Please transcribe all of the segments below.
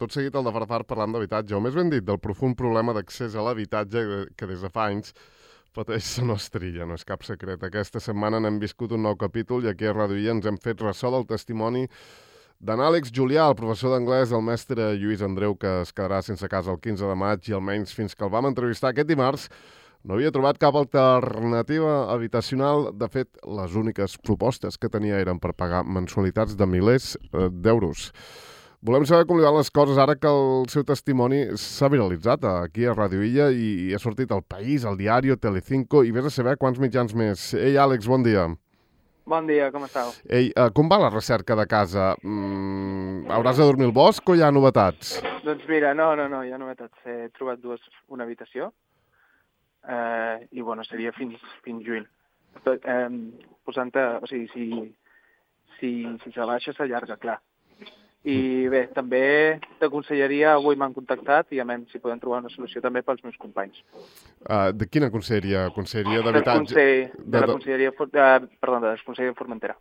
tot seguit el de Farfar parlant d'habitatge, o més ben dit, del profund problema d'accés a l'habitatge que des de fa anys pateix la nostra illa, no és cap secret. Aquesta setmana n'hem viscut un nou capítol i aquí a Radio Illa ens hem fet ressò del testimoni d'en Àlex Julià, el professor d'anglès del mestre Lluís Andreu, que es quedarà sense casa el 15 de maig i almenys fins que el vam entrevistar aquest dimarts no havia trobat cap alternativa habitacional. De fet, les úniques propostes que tenia eren per pagar mensualitats de milers d'euros. Volem saber com li van les coses ara que el seu testimoni s'ha viralitzat aquí a Radio Illa i ha sortit al País, al Diari, Telecinco i vés a saber quants mitjans més. Ei, Àlex, bon dia. Bon dia, com estàu? Ei, com va la recerca de casa? Hauràs de dormir al bosc o hi ha novetats? Doncs mira, no, hi ha novetats. He trobat una habitació i, bueno, seria fins juny. Posant-te, o sigui, si se baixa, s'allarga, clar. I bé, també t'aconsellaria, avui m'han contactat i a veure si podem trobar una solució també pels meus companys. De quina conselleria? Conselleria d'habitatge? De la conselleria, perdó, de la conselleria de Formentera.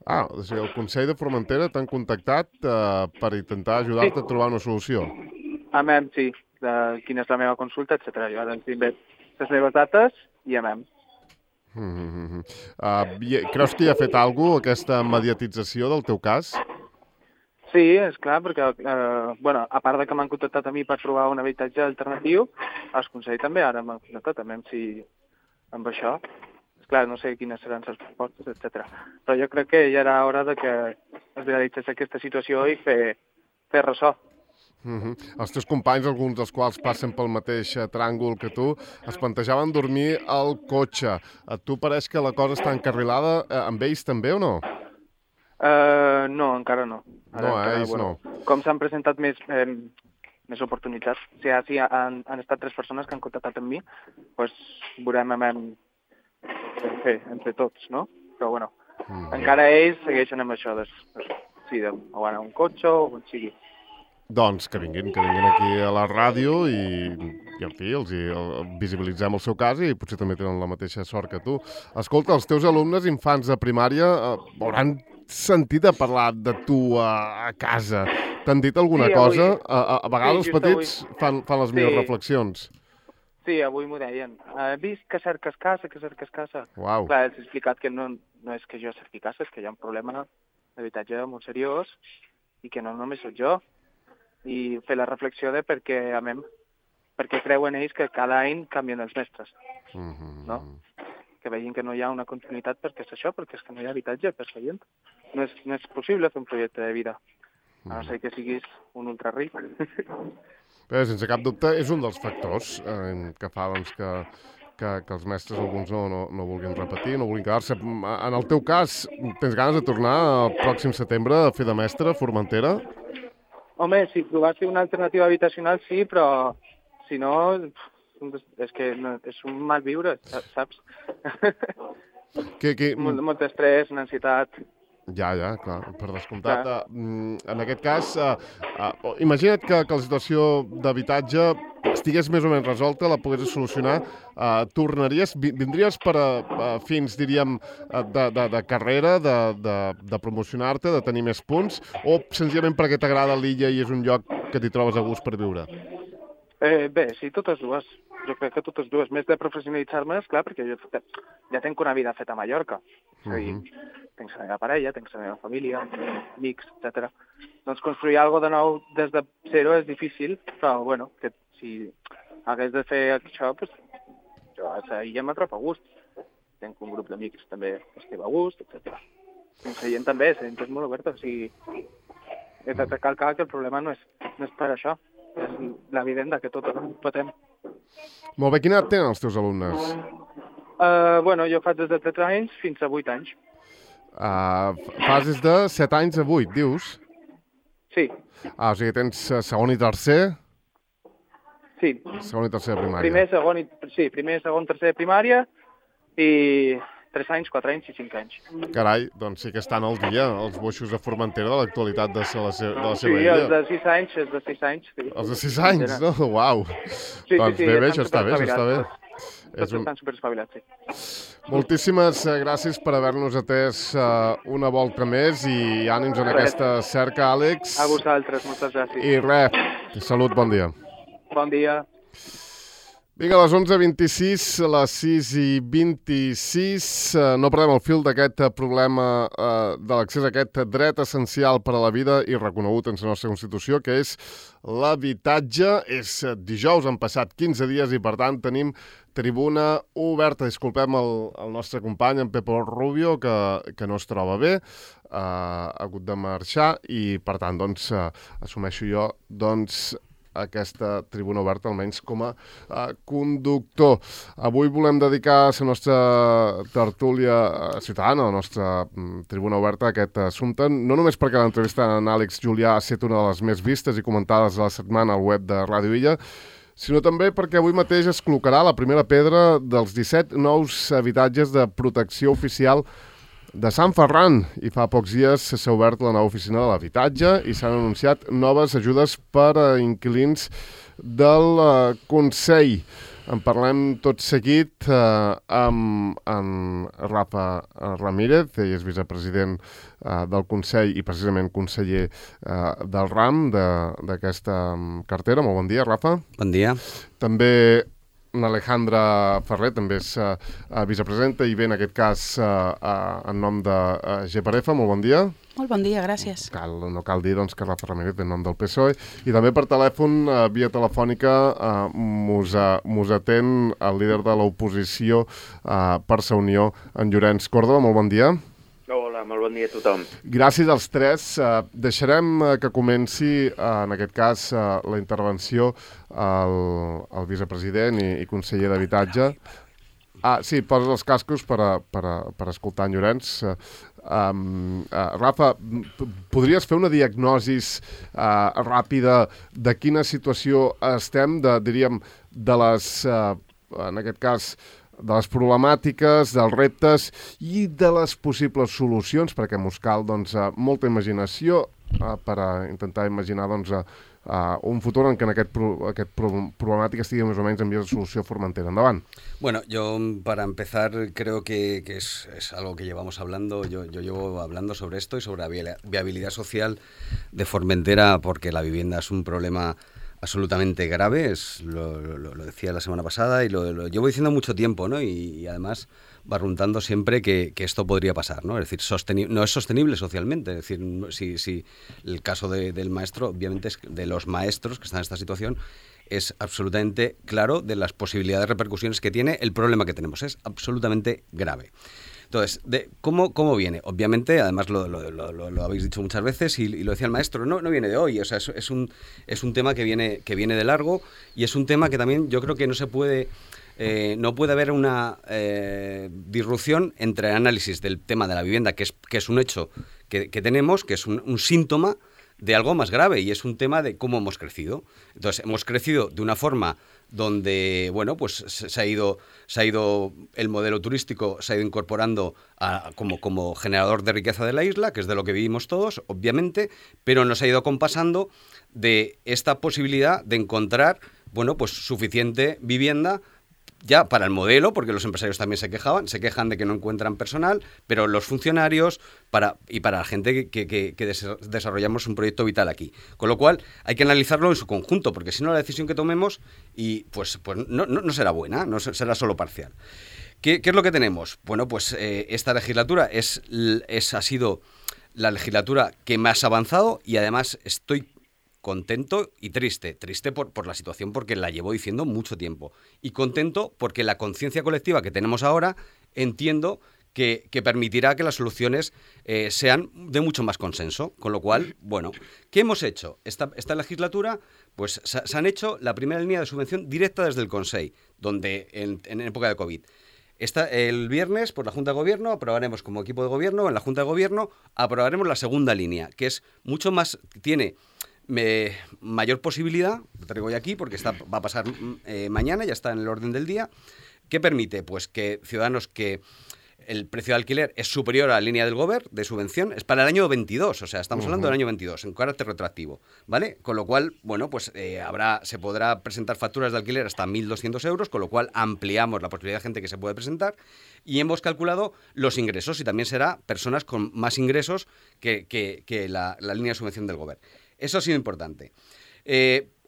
O sigui, el Consell de Formentera t'han contactat per intentar ajudar-te a trobar una solució? A veure, sí, de quina és la meva consulta, etc. Jo ara tinc les meves dates i a veure. Creus que hi ha fet alguna cosa, aquesta mediatització del teu cas? Sí, és clar, perquè, a part de que m'han contactat a mi per trobar un habitatge alternatiu, el Consell també ara m'han contactat, també amb això. És clar, no sé quines seran les propostes, etc. Però jo crec que ja era hora de que es viralitzés aquesta situació i fer ressò. Els teus companys, alguns dels quals passen pel mateix tràngol que tu, es plantejaven dormir al cotxe. A tu pareix que la cosa està encarrilada amb ells també o no? No, encara no. Ells no. Com s'han presentat més oportunitats, si han estat 3 persones que han contactat amb mi, doncs veurem entre tots, no? Però, bueno, encara ells segueixen amb això, o anar a un cotxe o on sigui. Doncs que vinguin aquí a la ràdio i en fi, els visibilitzem el seu cas i potser també tenen la mateixa sort que tu. Escolta, els teus alumnes infants de primària hauran sentit a parlar de tu a casa. T'han dit alguna cosa? A vegades els petits fan les millors reflexions. Sí, avui m'ho deien. He vist que cerques casa, Uau. Clar, els he explicat que no és que jo cerqui casa, és que hi ha un problema d'habitatge molt seriós i que no només soc jo. I fer la reflexió de perquè creuen ells que cada any canvien els mestres. No? Que vegin que no hi ha una continuïtat perquè és això, perquè és que no hi ha habitatge per la gent. No és possible fer un projecte de vida, a no ser que siguis un ultraric. Bé, sense cap dubte, és un dels factors que fa que els mestres alguns no vulguin repetir, no vulguin quedar-se. En el teu cas, tens ganes de tornar el pròxim setembre a fer de mestre a Formentera? Home, si trobassi una alternativa habitacional sí, però si no, és que és un mal viure, saps? Molt estrès, una ansietat. Ja, clar, per descomptat. En aquest cas, imagina't que la situació d'habitatge estigués més o menys resolta, la poguessis solucionar, tornaries, vindries fins, diríem, de carrera, de promocionar-te, de tenir més punts, o senzillament perquè t'agrada l'illa i és un lloc que t'hi trobes a gust per viure? Bé, sí, totes dues. Jo crec que totes dues. Més de professionalitzar-me, esclar, perquè jo ja tenc una vida feta a Mallorca. És a dir, tenc la meva parella, tenc la meva família, amics, etc. Doncs construir alguna cosa de nou des de zero és difícil, però, bueno, que si hagués de fer això, doncs jo a l'illa me trobo a gust. Tenc un grup d'amics també que estic a gust, etc. La gent també, la gent és molt oberta, o sigui, he de recalcar que el problema no és per això, és la vivenda que tot patem. Molt bé, quina edat tenen els teus alumnes? Jo faig des de 13 anys fins a 8 anys. Fas des de 7 anys a 8, dius? Sí. O sigui, tens segon i tercer? Sí. Segon i tercer de primària. Primer, segon, tercer de primària i 3 anys, 4 anys i 5 anys. Carai, doncs sí que estan al dia els boixos de Formentera de l'actualitat de la seva illa. Sí, els de 6 anys, sí. Els de 6 anys, no? Uau! Sí, doncs bé, això està bé. Tots estan superespavilats, sí. Moltíssimes gràcies per haver-nos atès una volta més i ànims en aquesta cerca, Àlex. A vosaltres, moltes gràcies. I res, salut, bon dia. Bon dia. Vinga, a les 11:26, a les 6:26, no perdem el fil d'aquest problema de l'accés a aquest dret essencial per a la vida i reconegut en la nostra Constitució, que és l'habitatge. És dijous, han passat 15 dies i, per tant, tenim tribuna oberta. Disculpem el nostre company, en Pepo Rubio, que no es troba bé, ha hagut de marxar i, per tant, doncs, assumeixo jo, doncs, aquesta tribuna oberta, almenys com a conductor. Avui volem dedicar la nostra tertúlia ciutadana, la nostra tribuna oberta, a aquest assumpte, no només perquè l'entrevista en Àlex Julià ha estat una de les més vistes i comentades a la setmana al web de Ràdio Illa, sinó també perquè avui mateix es col·locarà la primera pedra dels 17 nous habitatges de protecció oficial de Sant Ferran, i fa pocs dies s'ha obert la nova oficina de l'habitatge i s'han anunciat noves ajudes per a inquilins del Consell. En parlem tot seguit amb en Rafa Ramírez, ell és vicepresident del Consell i precisament conseller del RAM d'aquesta cartera. Molt bon dia, Rafa. Bon dia. També l'Alejandra Ferrer, també és vicepresidenta i ve en aquest cas en nom de GPRF. Molt bon dia. Molt bon dia, gràcies. No cal dir doncs, que Rafa Ramírez ve en nom del PSOE. I també per telèfon, via telefònica, mos atén el líder de l'oposició per Sa Unió, en Llorenç Córdoba. Molt bon dia. Hola, molt bon dia a tothom. Gràcies als tres. Deixarem que comenci, en aquest cas, la intervenció al vicepresident i conseller d'Habitatge. Sí, poses els cascos per escoltar en Llorenç. Rafa, podries fer una diagnosi ràpida de quina situació estem, diríem, de les, en aquest cas, de les problemàtiques, dels reptes i de les possibles solucions, perquè mos cal doncs, molta imaginació per intentar imaginar doncs, un futur en què aquest problemàtica estigui més o menys en vies de solució formentera. Endavant. Bueno, yo para empezar creo que es algo que llevamos hablando, yo llevo hablando sobre esto y sobre la viabilidad social de Formentera, porque la vivienda es un problema absolutamente grave, lo decía la semana pasada y lo llevo diciendo mucho tiempo, ¿no? Y además barruntando siempre que esto podría pasar, ¿no? Es decir, no es sostenible socialmente. Es decir, si el caso del maestro, obviamente, es de los maestros que están en esta situación, es absolutamente claro de las posibilidades de repercusiones que tiene el problema que tenemos. Es absolutamente grave. Entonces, ¿cómo viene? Obviamente, además lo habéis dicho muchas veces y lo decía el maestro, no viene de hoy, o sea, es un tema que viene de largo y es un tema que también yo creo que no puede haber una disrupción entre el análisis del tema de la vivienda, que es un hecho que tenemos, que es un síntoma de algo más grave, y es un tema de cómo hemos crecido. Entonces, hemos crecido de una forma donde, bueno, pues se ha ido el modelo turístico, se ha ido incorporando como generador de riqueza de la isla, que es de lo que vivimos todos, obviamente, pero nos ha ido compasando de esta posibilidad de encontrar, bueno, pues suficiente vivienda ya para el modelo, porque los empresarios también se quejan de que no encuentran personal, pero los funcionarios y para la gente que desarrollamos un proyecto vital aquí. Con lo cual hay que analizarlo en su conjunto, porque si no la decisión que tomemos pues no será buena, no será solo parcial. ¿Qué es lo que tenemos? Bueno, pues esta legislatura ha sido la legislatura que más ha avanzado, y además estoy contento y triste por la situación, porque la llevo diciendo mucho tiempo, y contento porque la conciencia colectiva que tenemos ahora entiendo que permitirá que las soluciones sean de mucho más consenso. Con lo cual, bueno, ¿qué hemos hecho? Esta legislatura, pues se han hecho la primera línea de subvención directa desde el Consell, donde en época de COVID. El viernes, por la Junta de Gobierno, aprobaremos como equipo de gobierno, en la Junta de Gobierno, aprobaremos la segunda línea, que es mucho más, tiene mayor posibilidad, lo traigo ya aquí porque va a pasar mañana, ya está en el orden del día, que permite pues que ciudadanos que el precio de alquiler es superior a la línea del Gobierno de subvención, es para el año 22, o sea, estamos hablando del año 22, en carácter retroactivo, ¿vale? Con lo cual, bueno, pues se podrá presentar facturas de alquiler hasta 1.200 euros, con lo cual ampliamos la posibilidad de gente que se puede presentar y hemos calculado los ingresos y también será personas con más ingresos que la línea de subvención del Gobierno. Eso ha sido importante.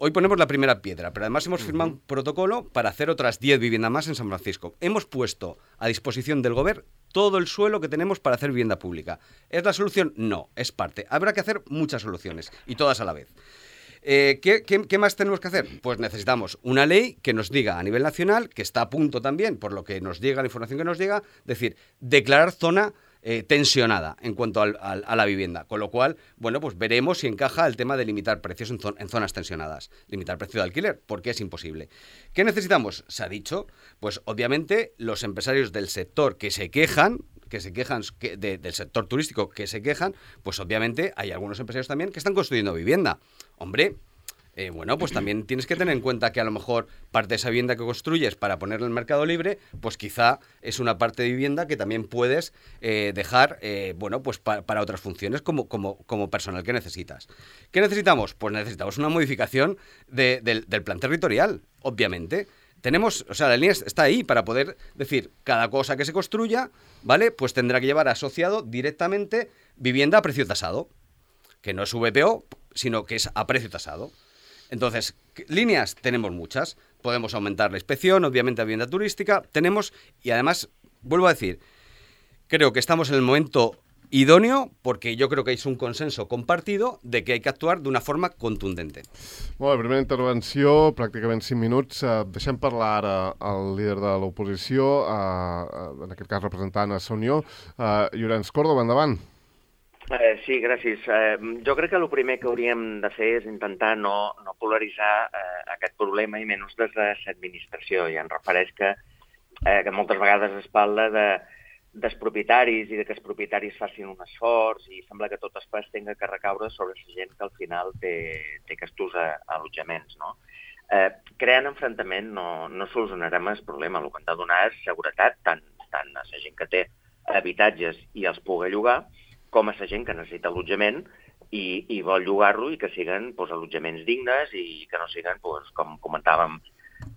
Hoy ponemos la primera piedra, pero además hemos firmado un protocolo para hacer otras 10 viviendas más en San Francisco. Hemos puesto a disposición del Gobierno todo el suelo que tenemos para hacer vivienda pública. ¿Es la solución? No, es parte. Habrá que hacer muchas soluciones y todas a la vez. ¿Qué más tenemos que hacer? Pues necesitamos una ley que nos diga a nivel nacional, que está a punto también, por lo que nos llega, la información que nos llega, decir, declarar zona tensionada en cuanto a la vivienda, con lo cual, bueno, pues veremos si encaja el tema de limitar precios en zonas tensionadas, limitar precio de alquiler, porque es imposible. ¿Qué necesitamos? Se ha dicho, pues obviamente los empresarios del sector que se quejan del sector turístico que se quejan, pues obviamente hay algunos empresarios también que están construyendo vivienda. Hombre, bueno, pues también tienes que tener en cuenta que a lo mejor parte de esa vivienda que construyes para ponerla en el mercado libre, pues quizá es una parte de vivienda que también puedes dejar, bueno, pues para otras funciones como personal que necesitas. ¿Qué necesitamos? Pues necesitamos una modificación del plan territorial, obviamente. La línea está ahí para poder decir, cada cosa que se construya, ¿vale? Pues tendrá que llevar asociado directamente vivienda a precio tasado, que no es VPO, sino que es a precio tasado. Entonces, líneas tenemos muchas. Podemos aumentar la inspección, obviamente, a vivienda turística. Tenemos, y además, vuelvo a decir, creo que estamos en el momento idòneo, perquè jo crec que és un consenso compartido de que hay que actuar d'una forma contundente. Molt bé, primera intervenció, pràcticament 5 minuts. Deixem parlar ara el líder de l'oposició, en aquest cas representant a Unió, Llorenç Córdoba, endavant. Sí, gràcies. Jo crec que el primer que hauríem de fer és intentar no polaritzar aquest problema i menys des de l'administració. I em refereix que moltes vegades es parla dels propietaris i que els propietaris facin un esforç i sembla que tot es tenga que recaure sobre la gent que al final té aquests allotjaments, no? Creant enfrontament no solucionarem el problema. El que hem de donar és seguretat tant a la gent que té habitatges i els pugui llogar, com a la gent que necessita allotjament i vol llogar-lo i que siguin allotjaments dignes i que no siguin, com comentàvem,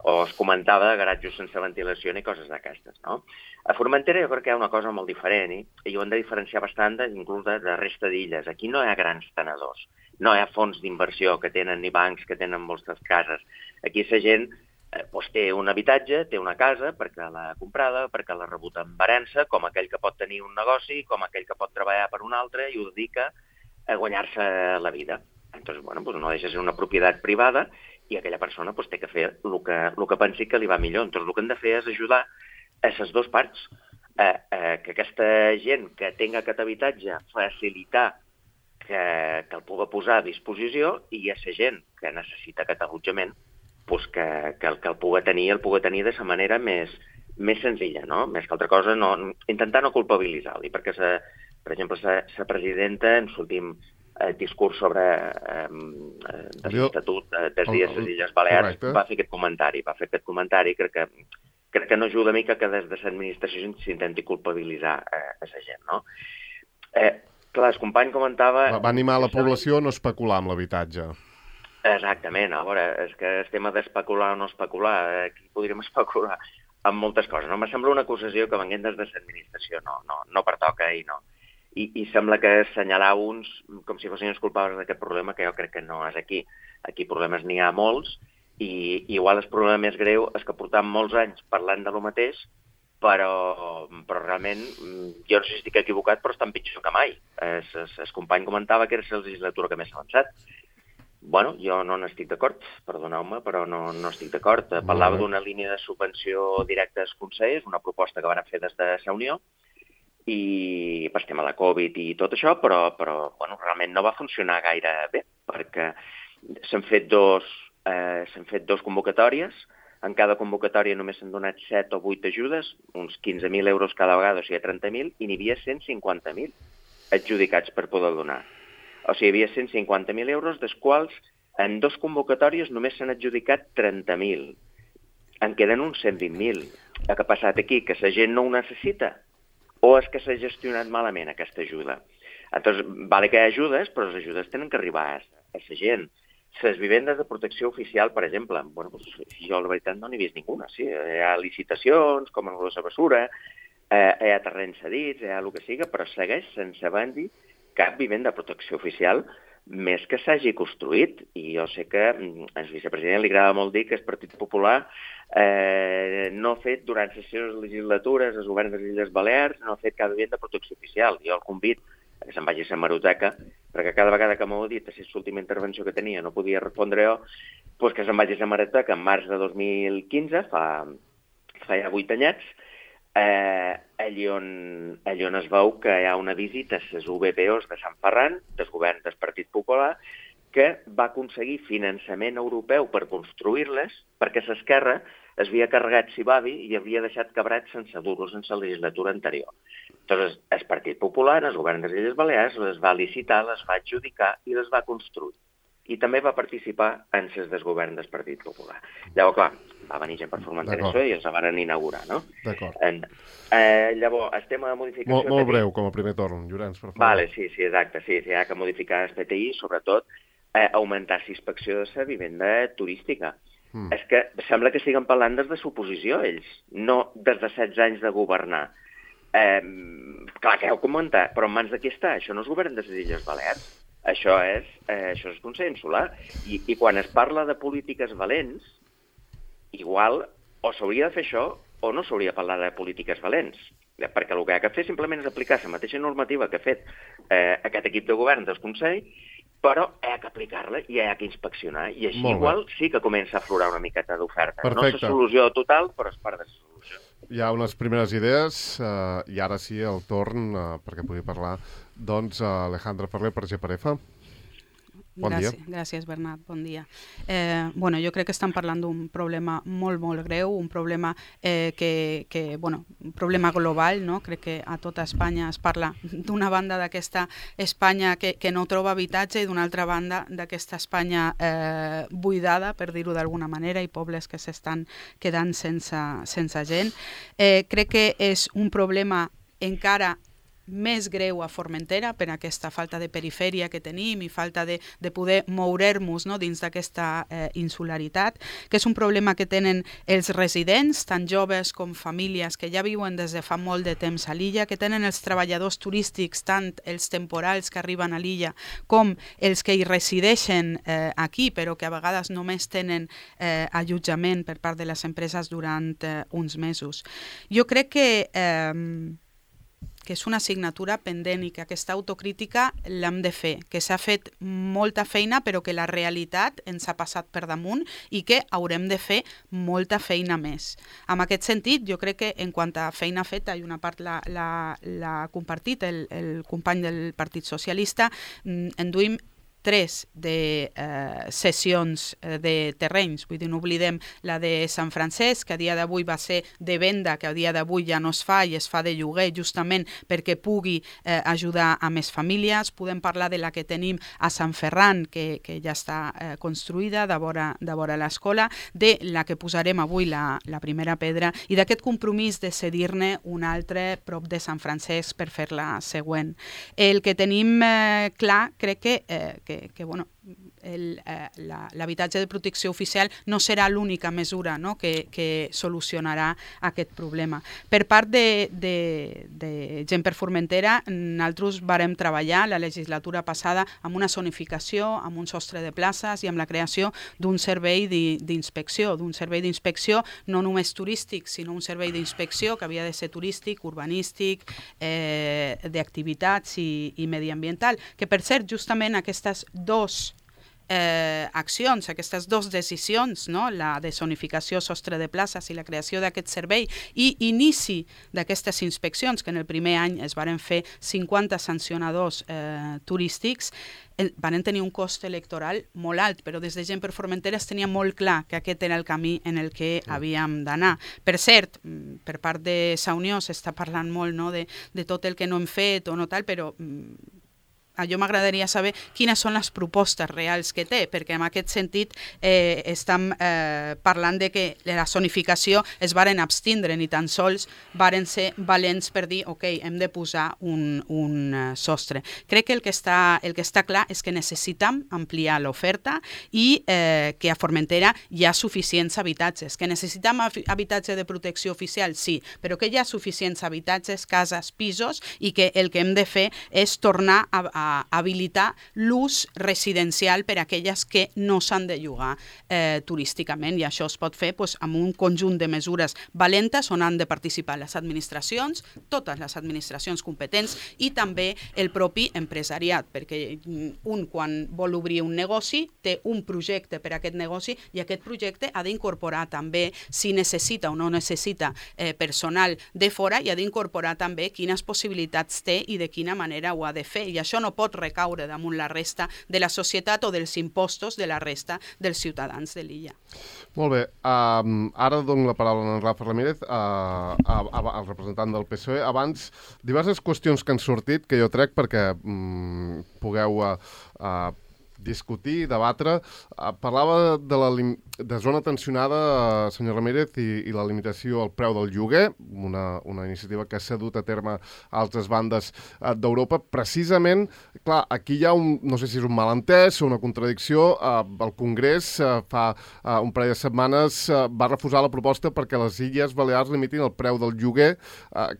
o es comentava, garatjos sense ventilació ni coses d'aquestes, no? A Formentera jo crec que hi ha una cosa molt diferent i ho hem de diferenciar bastant inclús de la resta d'illes. Aquí no hi ha grans tenedors, no hi ha fons d'inversió que tenen ni bancs que tenen moltes cases. Aquí la gent té un habitatge, té una casa perquè l'ha comprada, perquè l'ha rebut en herència, com aquell que pot tenir un negoci, com aquell que pot treballar per un altre i ho dedica a guanyar-se la vida. Entonces, bueno, no deixa de ser una propietat privada i aquella persona té que fer el que pensi que li va millor. Entonces, el que hem de fer és ajudar a les dues parts, que aquesta gent que tingui aquest habitatge facilitar que el pugui posar a disposició i a la gent que necessita aquest allotjament que el pugui tenir de la manera més senzilla, no? Més que altra cosa, intentar no culpabilitzar-li, perquè, per exemple, la presidenta en l'últim discurs sobre l'Estatut dels dies de les Illes Balears va fer aquest comentari. Crec que no ajuda a mi que des de l'administració s'intenti culpabilitzar a la gent, no? Clar, el company comentava... Va animar la població a no especular amb l'habitatge. Exactament, a veure, és que el tema d'especular o no especular, aquí podríem especular amb moltes coses, no? Me sembla una acusació que venguent des de l'administració no pertoca i no. I sembla que assenyalar uns com si fossin els culpables d'aquest problema, que jo crec que no és aquí. Aquí problemes n'hi ha molts i igual el problema més greu és que portam molts anys parlant de lo mateix, però realment, jo no sé si estic equivocat, però estan pitjor que mai. El company comentava que era la legislatura que més s'ha avançat. Bueno, jo no n'estic d'acord, perdoneu-me, però no estic d'acord. Parlava d'una línia de subvenció directa als consells, una proposta que van fer des de la Unió, i per tema de la Covid i tot això, però realment no va funcionar gaire bé, perquè s'han fet dos convocatòries. En cada convocatòria només s'han donat 7 o 8 ajudes, uns 15.000 euros cada vegada, o sigui, 30.000, i n'hi havia 150.000 adjudicats per poder donar. O sigui, hi havia 150.000 euros, dels quals en 2 convocatòries només s'han adjudicat 30.000. En queden uns 120.000. Què ha passat aquí? Que la gent no ho necessita? o és que s'ha gestionat malament aquesta ajuda. Entonces, vale que hi ha ajudes, però les ajudes tenen que arribar a la gent. Les vivendes de protecció oficial, per exemple, bueno, pues, jo la veritat no n'he vist ninguna. Sí, hi ha licitacions, com en la Bessura, hi ha terrenys cedits, hi ha el que siga, però segueix sense haver-hi cap vivenda de protecció oficial més que s'hagi construït. I jo sé que al vicepresident li agrada molt dir que el Partit Popular no ha fet durant les seves legislatures, els governs de les Illes Balears, no ha fet cap vivenda de protecció oficial. Jo el convido que se'n vagi a la hemeroteca, perquè cada vegada que m'ho ha dit, a la última intervenció que tenia, no podia respondre jo, doncs que se'n vagi a la hemeroteca en març de 2015, fa ja 8 anyets, allí on es veu que hi ha una visita a les UBPOs de Sant Ferran, del govern del Partit Popular, que va aconseguir finançament europeu per construir-les, perquè l'esquerra es havia carregat Sibavi i havia deixat cabrat sense dur-los en la legislatura anterior. Llavors, el Partit Popular, el govern de les Illes Balears, les va licitar, les va adjudicar i les va construir. I també va participar en les del govern del Partit Popular. Llavors, clar, va venir gent per Formentera i els van inaugurar, no? D'acord. Llavors, el tema de modificació... Molt breu, com a primer torn, Llorenç, per favor. Vale, sí, exacte. Sí, hi ha que modificar el PTI, sobretot augmentar la inspecció de la vivenda turística. És que sembla que estiguen parlant des de suposició, ells, no des de 16 anys de governar. Clar, que heu comentat, però en mans de qui està? Això no és govern de les Illes Balears. Això és Consell Insular. I quan es parla de polítiques valents, igual o s'hauria de fer això o no s'hauria de parlar de polítiques valents. Perquè el que ha de fer simplement és aplicar la mateixa normativa que ha fet aquest equip de govern del Consell, però hi ha que aplicar-la i hi ha que inspeccionar. I així igual sí que comença a aflorar una miqueta d'oferta. No és la solució total, però és part de la solució. Hi ha unes primeres idees i ara sí el torn perquè pugui parlar Alejandra Ferrer per GPRF. Bon dia. Gràcies, Bernat. Bon dia. Jo crec que estan parlant d'un problema molt, molt greu, un problema un problema global, no? Crec que a tota Espanya es parla d'una banda d'aquesta Espanya que no troba habitatge i d'una altra banda d'aquesta Espanya buidada, per dir-ho d'alguna manera, i pobles que s'estan quedant sense gent. Crec que és un problema encara més greu a Formentera per aquesta falta de perifèria que tenim i falta de poder mourer-nos, no, dins d'aquesta insularitat, que és un problema que tenen els residents, tant joves com famílies que ja viuen des de fa molt de temps a l'illa, que tenen els treballadors turístics, tant els temporals que arriben a l'illa com els que hi resideixen aquí, però que a vegades només tenen allotjament per part de les empreses durant uns mesos. Jo crec que és una assignatura pendent i que aquesta autocrítica l'hem de fer, que s'ha fet molta feina però que la realitat ens ha passat per damunt i que haurem de fer molta feina més. En aquest sentit, jo crec que en quant a feina feta, i una part l'ha compartit el company del Partit Socialista, enduim 3 de cessions de terrenys, vull dir, no oblidem la de Sant Francesc, que a dia d'avui va ser de venda, que a dia d'avui ja no es fa i es fa de lloguer justament perquè pugui ajudar a més famílies. Podem parlar de la que tenim a Sant Ferran, que ja està construïda, de vora l'escola, de la que posarem avui la primera pedra i d'aquest compromís de cedir-ne un altre prop de Sant Francesc per fer la següent. El que tenim clar, crec que l'habitatge de protecció oficial no serà l'única mesura, no, que solucionarà aquest problema. Per part de Gent per Formentera, nosaltres vàrem treballar la legislatura passada amb una zonificació, amb un sostre de places i amb la creació d'un servei d'inspecció, no només turístic, sinó un servei d'inspecció que havia de ser turístic, urbanístic, d'activitats i mediambiental, que per cert, justament aquestes dues accions, aquestes dues decisions, no? La de zonificació, sostre de places i la creació d'aquest servei i inici d'aquestes inspeccions, que en el primer any es varen fer 50 sancionadors turístics, van tenir un cost electoral molt alt, però des de Gent per Formentera es tenia molt clar que aquest era el camí en el que havíem d'anar. Per cert, per part de Sa Unió s'està parlant molt, no, de tot el que no hem fet o no tal, però jo m'agradaria saber quines són les propostes reals que té, perquè en aquest sentit estem parlant de que la zonificació es varen abstindre, ni tan sols varen ser valents per dir ok, hem de posar un sostre. Crec que el que està clar és que necessitem ampliar l'oferta i que a Formentera hi ha suficients habitatges. Que necessitem habitatge de protecció oficial, sí, però que hi ha suficients habitatges, cases, pisos, i que el que hem de fer és tornar a habilitar l'ús residencial per a aquelles que no s'han de llogar turísticament, i això es pot fer amb un conjunt de mesures valentes on han de participar les administracions, totes les administracions competents i també el propi empresariat, perquè un quan vol obrir un negoci té un projecte per a aquest negoci i aquest projecte ha d'incorporar també, si necessita o no necessita personal de fora, i ha d'incorporar també quines possibilitats té i de quina manera ho ha de fer, i això no pot recaure damunt la resta de la societat o dels impostos de la resta dels ciutadans de l'illa. Molt bé. Ara dono la paraula a en Rafa Ramírez, al representant del PSOE. Abans, diverses qüestions que han sortit, que jo trec perquè pugueu discutir, debatre. Parlava de zona tensionada, senyor Ramírez, i la limitació al preu del lloguer, una iniciativa que s'ha dut a terme a altres bandes d'Europa. Precisament, clar, aquí hi ha no sé si és un malentès o una contradicció. El Congrés fa un parell de setmanes va refusar la proposta perquè les Illes Balears limitin el preu del lloguer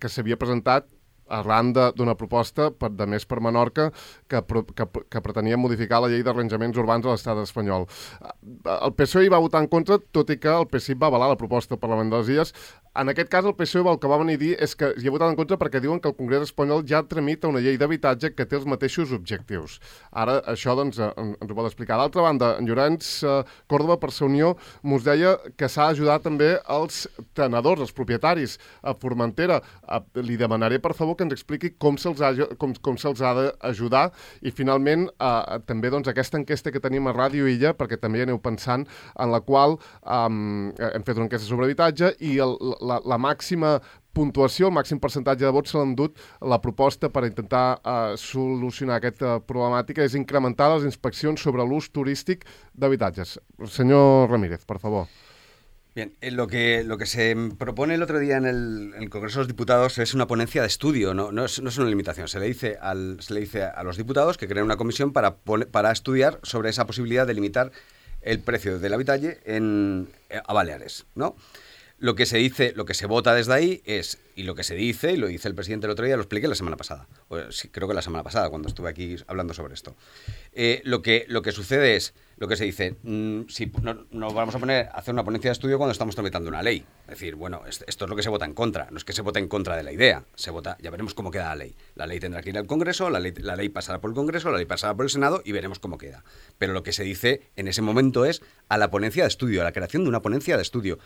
que s'havia presentat arran d'una proposta de més per Menorca que pretenia modificar la llei d'arranjaments urbans a l'estat espanyol. El PSOE hi va votar en contra, tot i que el PSIP va avalar la proposta del Parlament de les Illes. En aquest cas, el PSOE el que va venir a dir és que hi ha votat en contra perquè diuen que el Congrés espanyol ja tramita una llei d'habitatge que té els mateixos objectius. Ara, això doncs, ens ho pot explicar. D'altra banda, en Llorenç Córdoba, per Sa Unió, mos deia que s'ha d'ajudar també els tenedors, els propietaris a Formentera. Li demanaré, per favor, que ens expliqui com se'ls ha d'ajudar. I, finalment, també doncs, aquesta enquesta que tenim a Ràdio Illa, perquè també hi aneu pensant, en la qual hem fet una enquesta sobre habitatge i la màxima puntuació, el màxim percentatge de vots se l'ha endut la proposta per intentar solucionar aquesta problemàtica és incrementar les inspeccions sobre l'ús turístic d'habitatges. Senyor Ramírez, por favor. Bien, lo que se propone el otro día en el Congreso de los Diputados es una ponencia de estudio, no es una limitación. Se le dice a los diputados que creen una comisión para estudiar sobre esa posibilidad de limitar el precio del habitalle a Baleares, ¿no? Lo que se dice, lo que se vota desde ahí es, y lo que se dice, y lo dice el presidente el otro día, lo expliqué la semana pasada, sí, creo que la semana pasada, cuando estuve aquí hablando sobre esto. Lo que sucede es, lo que se dice, si no vamos a hacer una ponencia de estudio cuando estamos tramitando una ley. Es decir, bueno, esto es lo que se vota en contra, no es que se vote en contra de la idea, se vota, ya veremos cómo queda la ley. La ley tendrá que ir al Congreso, la ley pasará por el Congreso, la ley pasará por el Senado y veremos cómo queda. Pero lo que se dice en ese momento es a la ponencia de estudio, a la creación de una ponencia de estudio.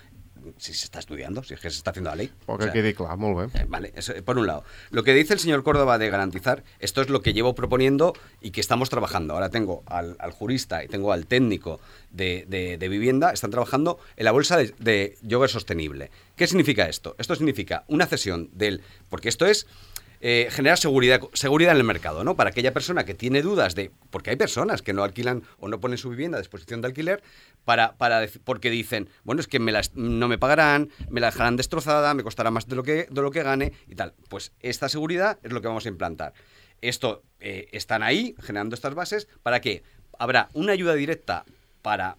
Si se está estudiando, si es que se está haciendo la ley. Porque quede claro, muy bien. Vale, eso, por un lado. Lo que dice el señor Córdoba de garantizar, esto es lo que llevo proponiendo y que estamos trabajando. Ahora tengo al jurista y tengo al técnico de vivienda, están trabajando en la bolsa de lloguer sostenible. ¿Qué significa esto? Esto significa una cesión porque esto es generar seguridad en el mercado, ¿no? Para aquella persona que tiene dudas porque hay personas que no alquilan o no ponen su vivienda a disposición de alquiler porque dicen, bueno, es que no me pagarán, me la dejarán destrozada, me costará más de lo que gane y tal. Pues esta seguridad es lo que vamos a implantar. Esto están ahí generando estas bases para que habrá una ayuda directa para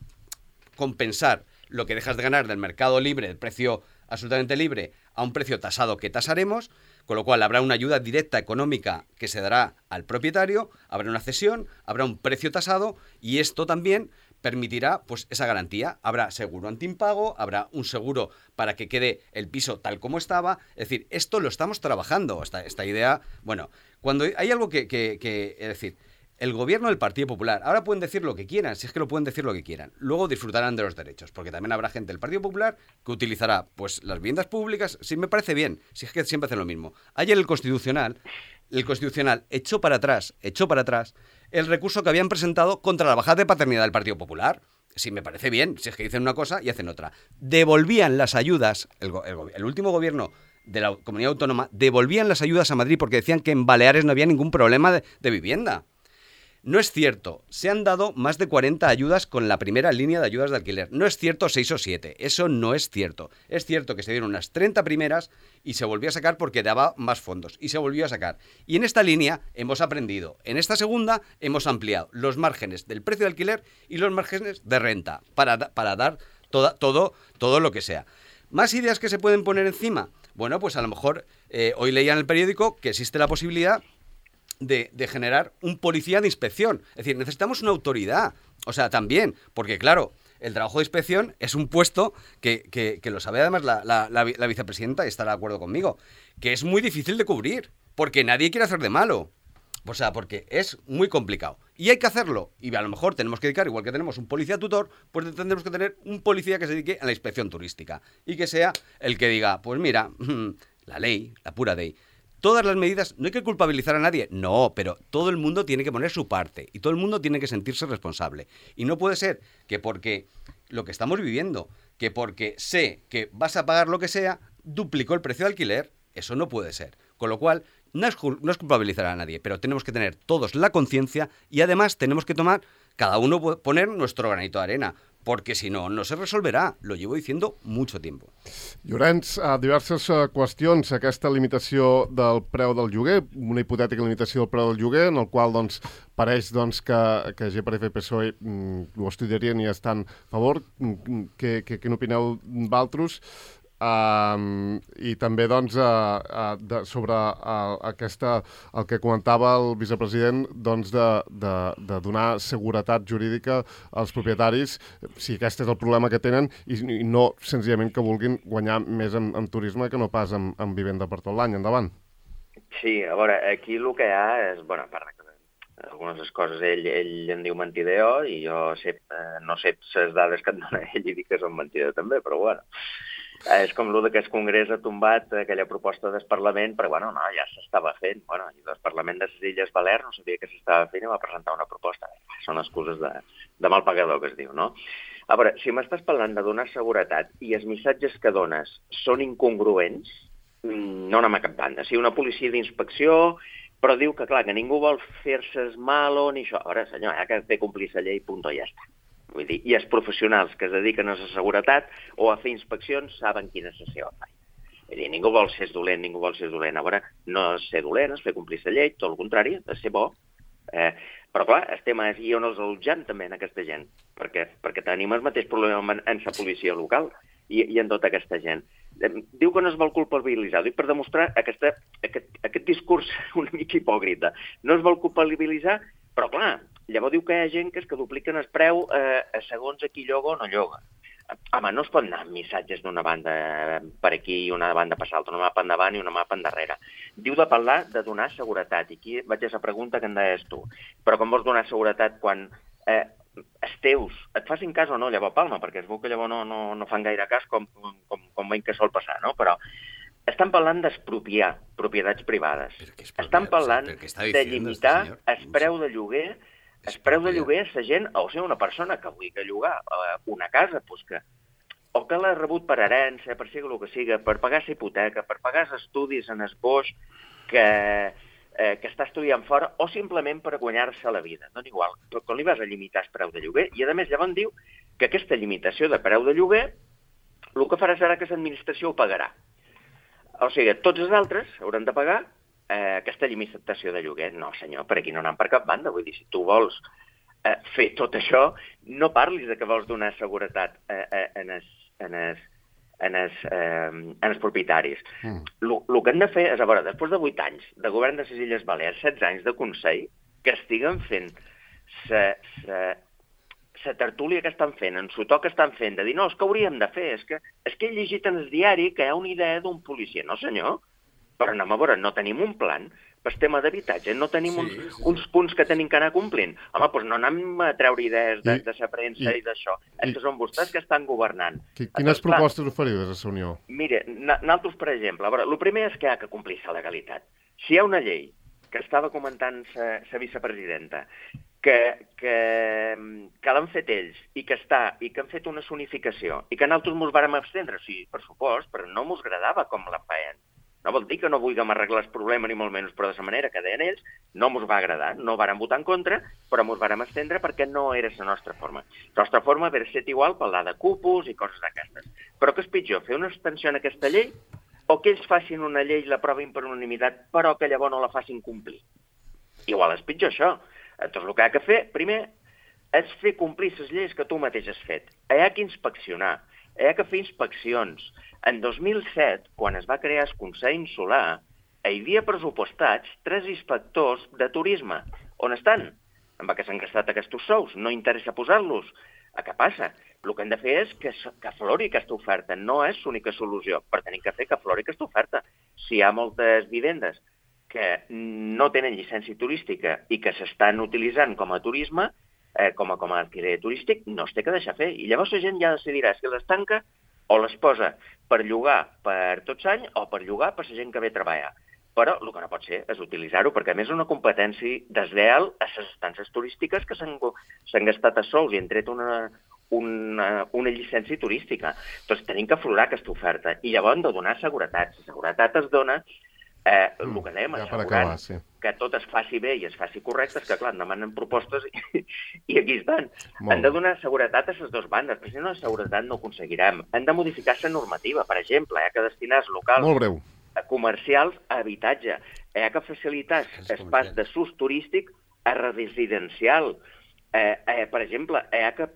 compensar lo que dejas de ganar del mercado libre, del precio absolutamente libre, a un precio tasado que tasaremos, con lo cual habrá una ayuda directa económica que se dará al propietario, habrá una cesión, habrá un precio tasado y esto también permitirá pues esa garantía. Habrá seguro antiimpago, habrá un seguro para que quede el piso tal como estaba. Es decir, esto lo estamos trabajando, esta idea. Bueno, cuando hay algo que es decir, el gobierno del Partido Popular, ahora pueden decir lo que quieran, si es que lo pueden decir lo que quieran, luego disfrutarán de los derechos, porque también habrá gente del Partido Popular que utilizará pues las viviendas públicas, si me parece bien, si es que siempre hacen lo mismo. Ayer el Constitucional echó para atrás el recurso que habían presentado contra la bajada de paternidad del Partido Popular. Si me parece bien, si es que dicen una cosa y hacen otra. Devolvían las ayudas, el último gobierno de la comunidad autónoma, devolvían las ayudas a Madrid porque decían que en Baleares no había ningún problema de vivienda. No es cierto, se han dado más de 40 ayudas con la primera línea de ayudas de alquiler. No es cierto 6 o 7, eso no es cierto. Es cierto que se dieron unas 30 primeras y se volvió a sacar porque daba más fondos y se volvió a sacar. Y en esta línea hemos aprendido. En esta segunda hemos ampliado los márgenes del precio de alquiler y los márgenes de renta para dar todo lo que sea. ¿Más ideas que se pueden poner encima? Bueno, pues a lo mejor hoy leía en el periódico que existe la posibilidad de generar un policía de inspección. Es decir, necesitamos una autoridad. O sea, también, porque claro, el trabajo de inspección es un puesto que lo sabe además la vicepresidenta y estará de acuerdo conmigo, que es muy difícil de cubrir, porque nadie quiere hacer de malo. O sea, porque es muy complicado. Y hay que hacerlo. Y a lo mejor tenemos que dedicar, igual que tenemos un policía tutor, pues tendremos que tener un policía que se dedique a la inspección turística. Y que sea el que diga, pues mira, la ley, la pura ley. Todas las medidas, no hay que culpabilizar a nadie, no, pero todo el mundo tiene que poner su parte y todo el mundo tiene que sentirse responsable. Y no puede ser que porque lo que estamos viviendo, que porque sé que vas a pagar lo que sea, duplicó el precio de alquiler, eso no puede ser. Con lo cual, no es culpabilizar a nadie, pero tenemos que tener todos la conciencia y además tenemos que cada uno poner nuestro granito de arena, perquè si no, no se resolverà. Lo llevo diciendo mucho tiempo. Llorenç, diverses qüestions. Aquesta limitació del preu del lloguer, una hipotètica limitació del preu del lloguer, en el qual pareix que GPRF i PSOE ho estudiarien i estan a favor. Què n'opineu d'altres? I també sobre el que comentava el vicepresident de donar seguretat jurídica als propietaris, si aquest és el problema que tenen, i no senzillament que vulguin guanyar més en turisme que no pas en vivenda per tot l'any. Endavant. Sí, a veure, aquí el que hi ha és, bueno, a part que algunes coses ell en diu mentideo i jo no sé les dades que et dona ell i dic que són mentideo també, però bueno. És com el que el Congrés ha tombat aquella proposta del Parlament, perquè bueno, no, ja s'estava fent. Bueno, i el Parlament de les Illes Balears no sabia que s'estava fent i va presentar una proposta. Són excuses de mal pagador, que es diu, no? A veure, si m'estàs parlant de donar seguretat i els missatges que dones són incongruents, no anem a cap banda. Si una policia d'inspecció, però diu que, clar, que ningú vol fer-se malo ni això. A veure, senyor, hi ha que fer complir la llei, punt, i ja està. Vull dir, i els professionals que es dediquen a la seguretat o a fer inspeccions saben quina és la seva feina. Vull dir, ningú vol ser dolent, ningú vol ser dolent. A veure, no és ser dolent, és fer complir la llei, tot el contrari, és ser bo. Però clar, el tema és, i on els allotjant també en aquesta gent, perquè tenim el mateix problema en la policia local i en tota aquesta gent. Diu que no es vol culpabilitzar, dic per demostrar aquest discurs una mica hipòcrita. No es vol culpabilitzar, però clar, llavors diu que hi ha gent que dupliquen el preu segons a qui lloga o no lloga. Home, no es pot anar amb missatges d'una banda per aquí i una banda per l'altra, una mà per endavant i una mà per endarrere. Diu de parlar de donar seguretat, i aquí vaig a la pregunta que em deies tu. Però com vols donar seguretat quan els teus et facin cas o no, llavors palma, perquè es veu que llavors no fan gaire cas com veiem que sol passar, no? Però estan parlant d'expropiar propietats privades. Estan parlant de limitar el preu de lloguer. El preu de lloguer és la gent, o sigui, una persona que vulgui llogar una casa, o que l'ha rebut per herència, per sigui el que siga, per pagar la hipoteca, per pagar els estudis en el boix que està estudiant fora, o simplement per guanyar-se la vida. No igual, quan li vas a limitar el preu de lloguer, i a més llavors diu que aquesta limitació de preu de lloguer el que farà serà que l'administració ho pagarà. O sigui, tots els altres hauran de pagar aquesta limitació de lloguer. No, senyor, per aquí no anem per cap banda. Vull dir, si tu vols fer tot això, no parlis de que vols donar seguretat en els propietaris. El que hem de fer és, a veure, després de 8 anys de govern de les Illes Balears, 16 anys de Consell, que estiguen fent la tertúlia que estan fent, en sotó que estan fent, de dir, no, és que hauríem de fer, és que he llegit en el diari que hi ha una idea d'un policia. No, senyor, però anem a veure, no tenim un plan per tema d'habitatge, no tenim uns punts que tenim que anar complint. Home, doncs no anem a treure idees de la premsa i d'això. És que són vostès que estan governant. Quines propostes oferiu des de la Unió? Mire, nosaltres, per exemple, a veure, el primer és que hi ha que complir la legalitat. Si hi ha una llei que estava comentant la vicepresidenta, que l'han fet ells i que han fet una zonificació i que nosaltres ens vàrem abstendre, sí, per supost, però no ens agradava com la feien. No vol dir que no vulguem arreglar el problema, ni molt menys, però de la manera que deien ells, no ens va agradar, no vàrem votar en contra, però ens vàrem estendre perquè no era la nostra forma. La nostra forma hauria estat igual parlar de cupos i coses d'aquestes. Però què és pitjor, fer una extensió en aquesta llei o que ells facin una llei i l'aprovin per unanimitat, però que llavors no la facin complir? Igual és pitjor això. Doncs el que ha de fer, primer, és fer complir les lleis que tu mateix has fet. Hi ha que inspeccionar, hi ha que fer inspeccions. En 2007, quan es va crear el Consell Insular, hi havia pressupostats 3 inspectors de turisme. On estan? En què s'han gastat aquests sous? No interessa posar-los. Què passa? El que hem de fer és que aflori aquesta oferta. No és l'única solució, però tenim que fer que aflori aquesta oferta. Si hi ha moltes vivendes que no tenen llicència turística i que s'estan utilitzant com a turisme, com a alquiler turístic, no es té que deixar fer. I llavors la gent ja decidirà si les tanca o les posa per llogar per tots anys o per llogar per la gent que ve a treballar. Però el que no pot ser és utilitzar-ho, perquè a més és una competència desleal a les estances turístiques que s'han gastat a sous i han tret una llicència turística. Doncs tenim que aflorar aquesta oferta i llavors hem de donar seguretat. La seguretat es dona el que dèiem, assegurant que tot es faci bé i es faci correcte, és que, clar, demanen propostes i aquí estan. Hem de donar seguretat a les dues bandes, però si no, la seguretat no ho aconseguirem. Hem de modificar la normativa, per exemple, hi ha que destinar els locals comercials a habitatge, hi ha que facilitar espais de s'ús turístic a residencial. Per exemple, hi ha que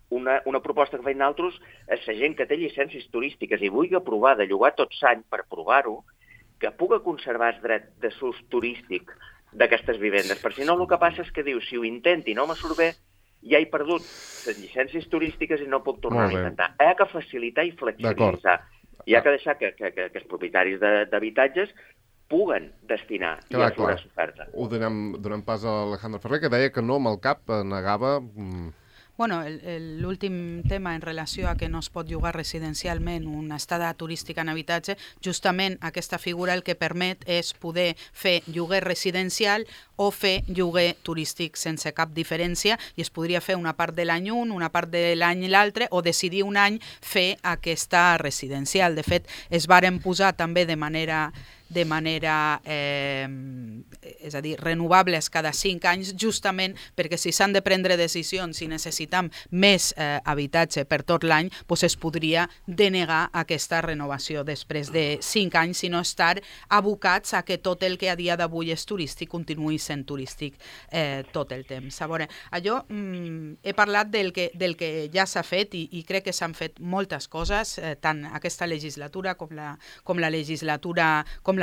una proposta que feien altres és la gent que té llicències turístiques i vulgui provar de llogar tot l'any per provar-ho, que pugui conservar el dret de s'ús turístic d'aquestes vivendes. Per si no, el que passa és que diu, si ho intenti i no me surt bé, ja he perdut les llicències turístiques i no puc tornar a intentar. Hi ha que facilitar i flexibilitzar. Hi ha que deixar que els propietaris d'habitatges puguen destinar i aflorar l'oferta. Ho donem pas a Alejandro Ferrer, que deia que no amb el cap negava... Bueno, l'últim tema en relació a que no es pot llogar residencialment una estada turística en habitatge, justament aquesta figura el que permet és poder fer lloguer residencial o fer lloguer turístic sense cap diferència i es podria fer una part de l'any un, una part de l'any l'altre o decidir un any fer aquesta residencial. De fet, es varen posar també de manera és a dir, renovables cada 5 anys, justament perquè si s'han de prendre decisions i necessitem més habitatge per tot l'any, doncs es podria denegar aquesta renovació després de 5 anys, sinó estar abocats a que tot el que a dia d'avui és turístic continuï sent turístic tot el temps. A veure, jo he parlat del que ja s'ha fet i crec que s'han fet moltes coses, tant aquesta legislatura com la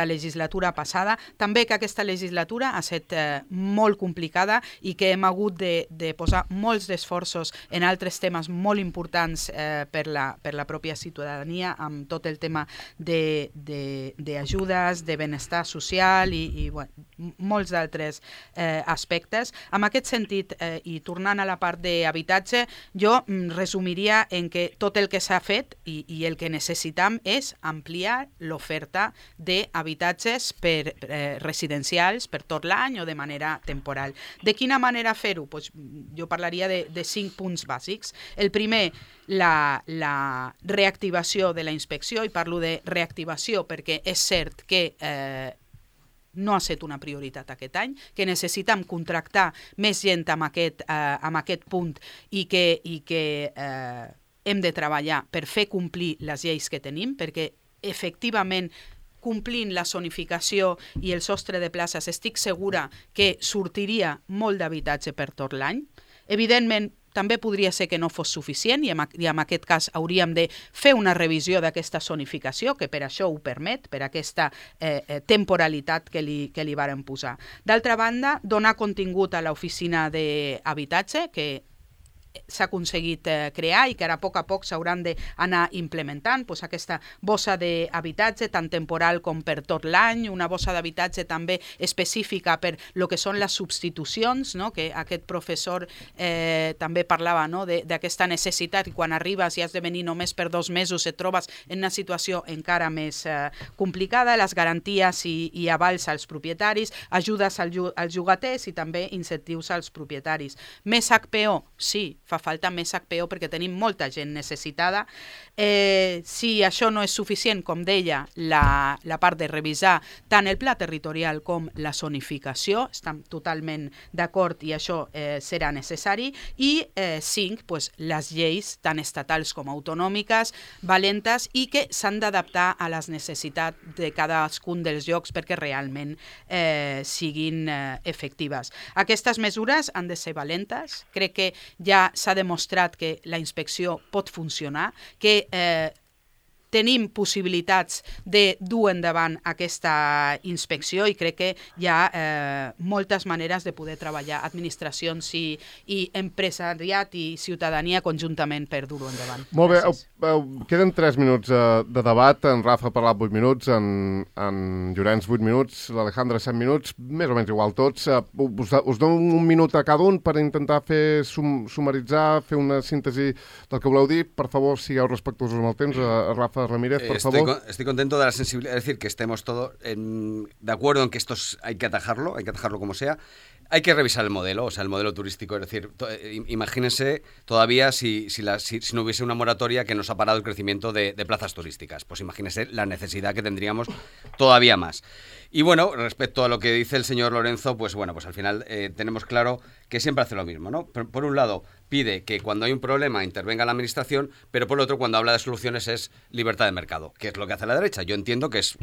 legislatura passada. També que aquesta legislatura ha estat molt complicada i que hem hagut de posar molts d'esforços en altres temes molt importants per la pròpia ciutadania, amb tot el tema d'ajudes, de benestar social i molts d'altres aspectes. En aquest sentit, i tornant a la part d'habitatge, jo resumiria en que tot el que s'ha fet i el que necessitam és ampliar l'oferta d'habitatges residencials per tot l'any o de manera temporal. De quina manera fer-ho? Pues jo parlaria de 5 punts bàsics. El primer, la reactivació de la inspecció, i parlo de reactivació perquè és cert que no ha estat una prioritat aquest any, que necessitem contractar més gent amb aquest punt i que hem de treballar per fer complir les lleis que tenim, perquè efectivament complint la zonificació i el sostre de places estic segura que sortiria molt d'habitatge per tot l'any. Evidentment, també podria ser que no fos suficient i en aquest cas hauríem de fer una revisió d'aquesta zonificació, que per això ho permet, per aquesta temporalitat que li varen posar. D'altra banda, donar contingut a l'oficina d'habitatge, que s'ha aconseguit crear i que ara a poc s'hauran d'anar implementant, doncs aquesta bossa d'habitatge tant temporal com per tot l'any, una bossa d'habitatge també específica per el que són les substitucions, no? Que aquest professor també parlava, no? D'aquesta necessitat i quan arribes i has de venir només per 2 mesos et trobes en una situació encara més complicada, les garanties i avals als propietaris, ajudes als llogaters i també incentius als propietaris. Més HPO? Sí, fa falta més HPO perquè tenim molta gent necessitada. Si això no és suficient, com deia, la part de revisar tant el pla territorial com la zonificació, estem totalment d'acord i això serà necessari, i 5, pues, les lleis tant estatals com autonòmiques, valentes i que s'han d'adaptar a les necessitats de cadascun dels llocs perquè realment siguin efectives. Aquestes mesures han de ser valentes. Crec que ja s'ha demostrat que la inspecció pot funcionar, que tenim possibilitats de dur endavant aquesta inspecció i crec que hi ha moltes maneres de poder treballar administracions i empresariat i ciutadania conjuntament per dur-ho endavant. Molt bé, queden 3 minuts de debat. En Rafa ha parlat 8 minuts, en Llorenç 8 minuts, l'Alejandra 7 minuts, més o menys igual tots. Us dono un minut a cada un per intentar fer sumaritzar, fer una síntesi del que voleu dir. Per favor, sigueu respectuosos amb el temps. Rafa Ramírez, por favor. Estoy contento de la sensibilidad, es decir, que estemos todos de acuerdo en que esto hay que atajarlo como sea. Hay que revisar el modelo, o sea, el modelo turístico, es decir, imagínense todavía si no hubiese una moratoria que nos ha parado el crecimiento de plazas turísticas, pues imagínense la necesidad que tendríamos todavía más. Y bueno, respecto a lo que dice el señor Lorenzo, pues bueno, pues al final tenemos claro que siempre hace lo mismo, ¿no? Por un lado, pide que cuando hay un problema intervenga la administración, pero por el otro, cuando habla de soluciones es libertad de mercado, que es lo que hace la derecha. Yo entiendo que es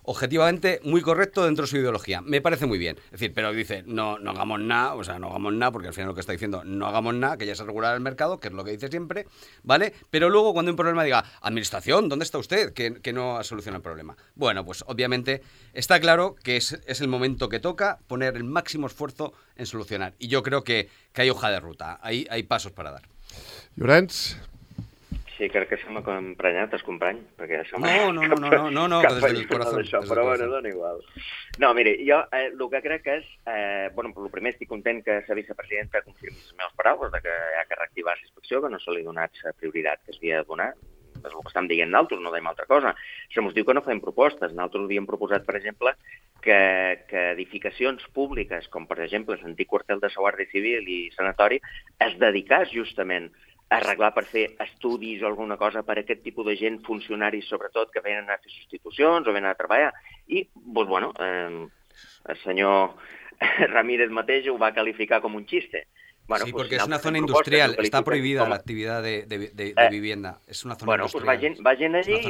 objetivamente muy correcto dentro de su ideología. Me parece muy bien. Es decir, pero dice, no hagamos nada, o sea, no hagamos nada, porque al final lo que está diciendo, no hagamos nada, que ya se regulará el mercado, que es lo que dice siempre, ¿vale? Pero luego cuando hay un problema diga, administración, ¿dónde está usted? Que no soluciona el problema. Bueno, pues obviamente está claro que es el momento que toca poner el máximo esfuerzo en solucionar. Y yo creo que hay hoja de ruta, hay pasos para dar. Llorenç? Sí, crec que se m'ha emprenyat el company, perquè això... No, que des del corazón. Però bueno, dona igual. No, mire, jo el que crec és... Bueno, el primer estic content que la vicepresidenta confirmi les meves paraules de que hi ha que reactivar la inspecció, que no se li ha donat la prioritat que s'havia de donar. És el que estem dient nosaltres, no dèiem altra cosa. Se mos diu que no fem propostes. Nosaltres havíem proposat, per exemple, que edificacions públiques, com per exemple l'antic quartel de la Guàrdia Civil i sanatori, es dedicàs justament a arreglar per fer estudis o alguna cosa per a aquest tipus de gent, funcionaris sobretot, que venen a fer substitucions o venen a treballar. I, doncs, bueno, el senyor Ramírez mateix ho va qualificar com un xiste. Bueno, sí, pues, porque es una zona industrial, está prohibida la actividad de vivienda. Es una zona industrial. Bueno, pues vagin allí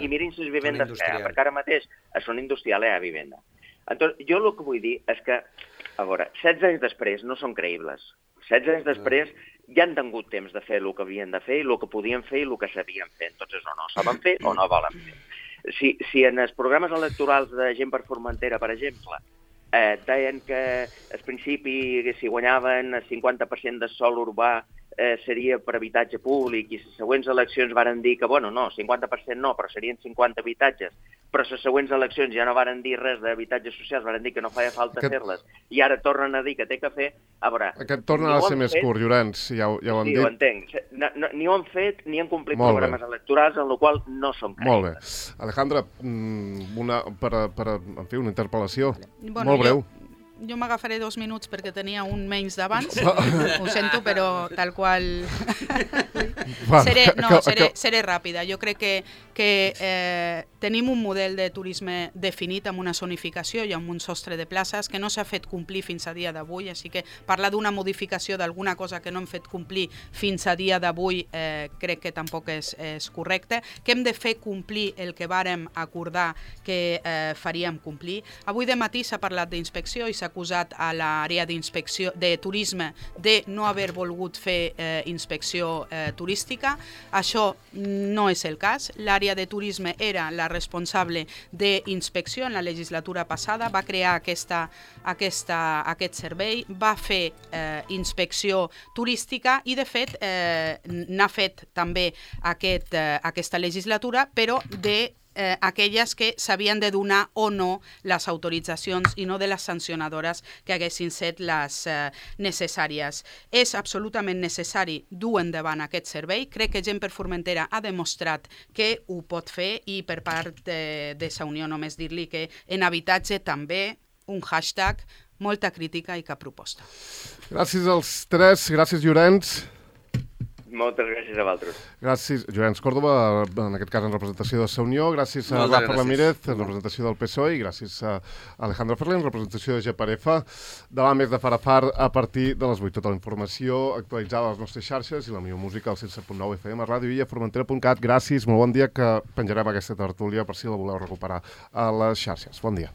i mirin les vivendes que hi ha, perquè ara mateix a zona industrial hi ha vivenda. Entonces, jo el que vull dir és que, a veure, 16 anys després no són creïbles. 16 anys després ja han tingut temps de fer el que havien de fer, el que podien fer i el que sabien fer. Entonces, o no saben fer o no volen fer. Si en els programes electorals de Gent per Formentera, per exemple, deien que al principi si guanyaven el 50% del sòl urbà seria per habitatge públic i les següents eleccions varen dir que, bueno, no, 50% no, però serien 50 habitatges, però les següents eleccions ja no varen dir res d'habitatges socials, varen dir que no feia falta fer-les, i ara tornen a dir que té que fer, a veure... Aquest torna a ser més curt, Llorenç, ja ho hem dit. Sí, ho entenc. Ni ho han fet, ni han complit programes electorals, en el qual no som creïbles. Molt bé. Alejandra, en fi, una interpel·lació molt breu. Jo m'agafaré 2 minuts perquè tenia un menys d'abans, ho sento, però tal qual... Seré ràpida. Jo crec que tenim un model de turisme definit amb una zonificació i amb un sostre de places que no s'ha fet complir fins a dia d'avui, així que parlar d'una modificació d'alguna cosa que no hem fet complir fins a dia d'avui crec que tampoc és correcte, que hem de fer complir el que vàrem acordar que faríem complir. Avui de matí s'ha parlat d'inspecció i s'ha acusat a l'àrea d'inspecció de turisme de no haver volgut fer inspecció turística. Això no és el cas. L'àrea de turisme era la responsable d'inspecció en la legislatura passada, va crear aquest servei, va fer inspecció turística i, de fet, n'ha fet també aquesta legislatura, però de aquelles que s'havien de donar o no les autoritzacions i no de les sancionadores que haguessin set les necessàries. És absolutament necessari dur endavant aquest servei. Crec que Gent per Formentera ha demostrat que ho pot fer i per part de sa Unió només dir-li que en habitatge també un hashtag, molta crítica i cap proposta. Gràcies als tres, gràcies Llorenç. Moltes gràcies a vosaltres. Gràcies, Llorenç Córdoba, en aquest cas en representació de Sa Unió, gràcies a Moltes Rafa gràcies. Ramírez, en representació del PSOE, i gràcies a Alejandro Ferrer, en representació de GPRF. Demà més de Farafar a partir de les 8. Tota la informació actualitzada a les nostres xarxes i la millor música al 107.9 FM, a Ràdio Illa, Formentera.cat. Gràcies, molt bon dia, que penjarem aquesta tertúlia per si la voleu recuperar a les xarxes. Bon dia.